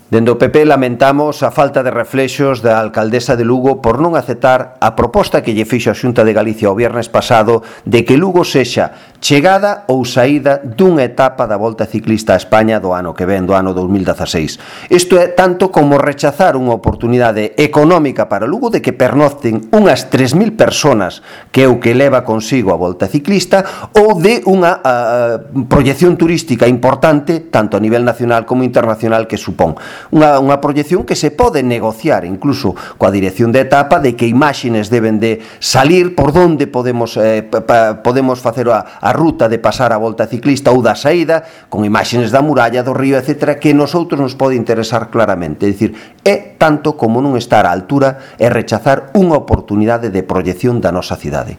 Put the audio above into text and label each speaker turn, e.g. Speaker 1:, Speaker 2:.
Speaker 1: Dende o PP lamentamos a falta de reflexos da alcaldesa de Lugo por non aceptar a proposta que lle fixo a Xunta de Galicia o viernes pasado de que Lugo sexa chegada ou saída dunha etapa da Volta Ciclista a España do ano que ven, do ano 2016. Isto é tanto como rechazar unha oportunidade económica para Lugo de que pernocten unhas 3.000 personas, que é o que leva consigo a Volta Ciclista, ou de unha proyección turística importante tanto a nivel nacional como internacional que supón. Unha proyección que se pode negociar incluso coa dirección de etapa de que imaxes deben de salir por onde podemos facer a ruta de pasar a Volta Ciclista ou da saída, con imaxes da muralla, do río, etc., que nosotros nos pode interesar claramente. É dicir, é tanto como non estar á altura e rechazar unha oportunidade de proyección da nosa cidade.